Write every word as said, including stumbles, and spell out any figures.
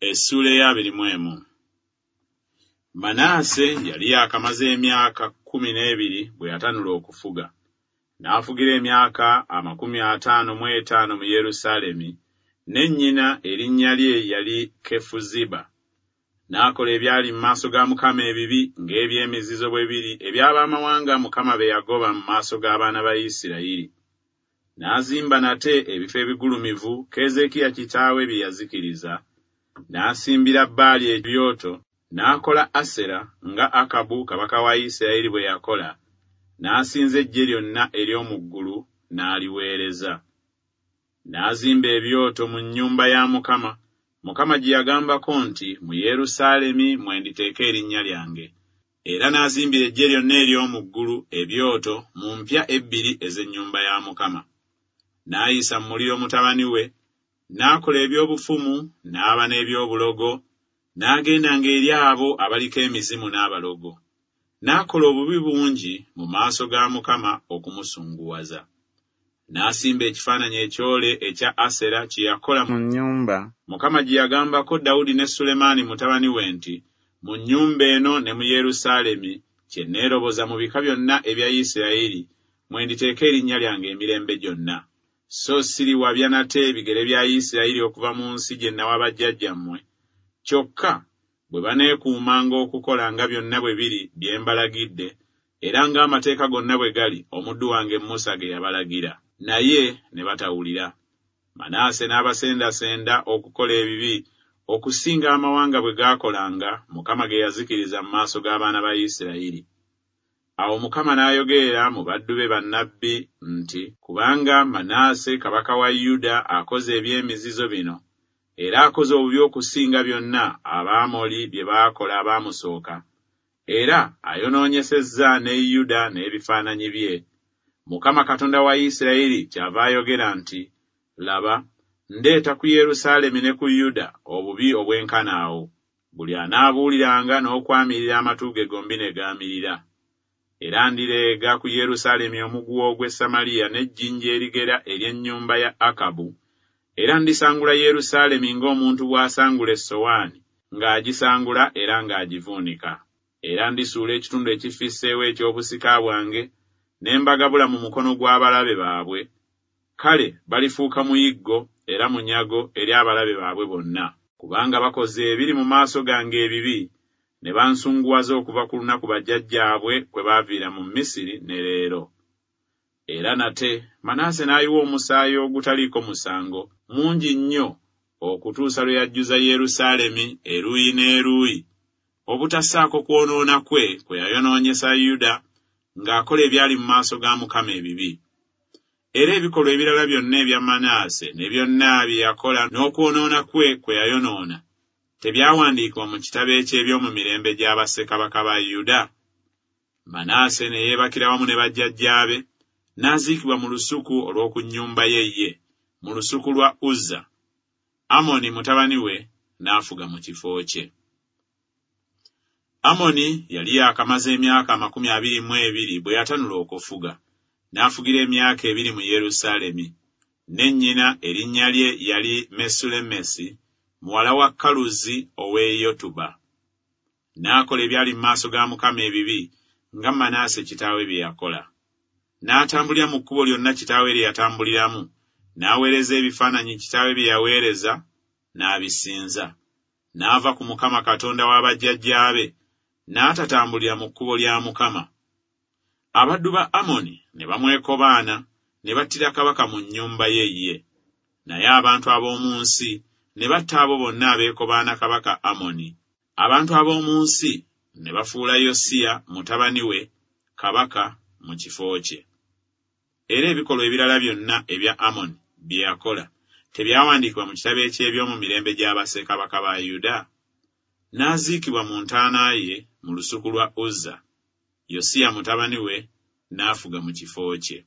Essuula ey'abiri mu emu. Manaase yali yaakamaze emyaka kkumi n'ebiri bwe yatanula okufuga. N'afugira emyaka amakumi ataano mu etaano mu Yerusaalemi, ne nnyina erinnya lye yali Kefuziba. N'akola ebyali mu maaso ga Mukama ebibi ng'eby'emizizo bwe biri eby'abamawanga Mukama be yagoba mu maaso g'abaana ba Isirayiri. N'azimba nate ebifo ebigulumivu Keezeekiya kitaawe bye yazikiriza, n'asimbira Baali ebyoto, n'akola Asera nga Akabu kabaka wa Isirayiri bwe yakola, n'asinza eggye lyonna ery'omu ggulu n'aliweereza. N'azimba ebyoto mu nnyumba ya Mukama, Mukama gye yagambako nti, Mu Yerusaalemi mwe nditeeka erinnya lyange. Era n'azimbira eggye lyonna ery'omu ggulu ebyoto mu mpya ebbiri ez'ennyumba ya Mukama. N'ayisa mu muliro mutabani we, n'akola eby'obufumu, n'aba n'eby'obulogo, n'agendanga eri abo abaliko emizimu n'abalogo. N'akola obubi bungi mu maaso ga Mukama okumusunguwaza. N'asimba ekifaananyi ekyole ekya Asera kye yakola mu nnyumba Mukama gye yagambako Dawudi ne Sulemaani mutabani we nti, Mu nnyumba eno ne mu Yerusaalemi kye neeroboza mu bika byonna ebya Isirayiri mwe nditeeka erinnya lyange emirembe gyonna. So siriwabya nate bigere bya Isirayiri okuva mu nsi gye nawa bajjajjammwe. Kyokka bwe baneekuumanga okukola nga byonna bwe biri bye mbalagidde, era ng'amateeka gonna bwe gali omuddu wange Musa ge yabalagira. Naye ne batawulira. Manaase n'abasendasenda okukola ebibi okusinga amawanga bwe gaakolanga Mukama ge yazikiriza mu maaso g'abaana ba Isirayiri. Awo Mukama n'ayogerera mu baddu be bannabbi nti, Kubanga Manaase kabaka wa Yuda akoze eby'emizizo bino, era akoze obubi okusinga byonna Abaamoli bye baakola abaamusooka, era ayonoonyesezza ne Yuda n'ebifaananyi bye, Mukama Katonda wa Isirayiri kyava ayogera nti, Laba, ndeeta ku Yerusaalemi ne ku Yuda obubi obwenkana awo, buli anaabuuliranga n'okwamirira amatu ge gombi ne gaamirira. Era ndireega ku Yerusaalemi omuguwa ogw'e Samaliya n'ejjinja erigera ery'ennyumba ya Akabu, era ndisangula Yerusaalemi ng'omuntu bw'asangula essowaani, ng'agisangula era ng'agivuunika. Era ndisuula ekitundu ekifisseewo eky'obusika bwange, ne mbagabula mu mukono gw'abalabe baabwe. Kale balifuuka muyiggo era munyago eri abalabe baabwe bonna. Kubanga bakoze ebiri mu maaso gange ebibi, ne bansunguwaza okuva ku lunaku bajjajjaabwe kwe baaviira mu Misiri ne leero. Era nate Manaase n'ayiwa omusaayi ogutaliiko musango mungi nnyo okutuusa lwe yajjuza Yerusaalemi eruuyi n'eruuyi, obutassaako kwonoona kwe kwe yayonoonyesa Yuda ng'akola ebyali mu maaso ga Mukama ebibi. Era ebikolwa ebirala byonna ebya Manaase ne byonna bye yakola n'okwonoona kwe kwe yayonoona tebyawandiikibwa mu kitabo eky'eby'omu mirembe gya bassekabaka ba Yuda? Manaase ne yeebakira wamu ne bajjajjaabe, n'aziikibwa mu lusuku olw'oku nnyumba ye ye, mu lusuku lwa Uzza. Amoni mutabani we n'afuga mu kifo kye. Amoni yali yaakamaze emyaka amakumi abiri mu ebiri bwe yatanula okufuga, n'afugira emyaka ebiri mu Yerusaalemi. Ne nnyina erinnya lye yali Mesulemesi, muwala wa Kaluzi ow'e Yotuba. N'akola ebyali mu maaso ga Mukama ebibi nga Manaase kitaawe bye yakola. N'atambulira mu kkubo lyonna kitaawe lye yatambuliramu, n'aweereza ebifaananyi kitaawe bye yaweereza, n'abisinza. N'ava ku Mukama Katonda wa bajjajjaabe, n'atatambulira mu kkubo lya Mukama. Abaddu ba Amoni ne bamwekobaana, ne battira kabaka mu nnyumba ye ye. Naye abantu ab'omu nsi ne batta abo bonna abeekobaana kabaka Amoni. Abantu ab'omu nsi ne bafuula Yosiya mutabani we kabaka mu kifo kye. Era ebikolwa ebirala byonna ebya Amoni bye yakola tebyawandiikibwa mu kitabo eky'eby'omu mirembe gya bassekabaka ba Yuda? N'aziikibwa mu ntaana ye mu lusuku lwa Uzza. Yosiya mutabani we n'afuga mu kifo kye.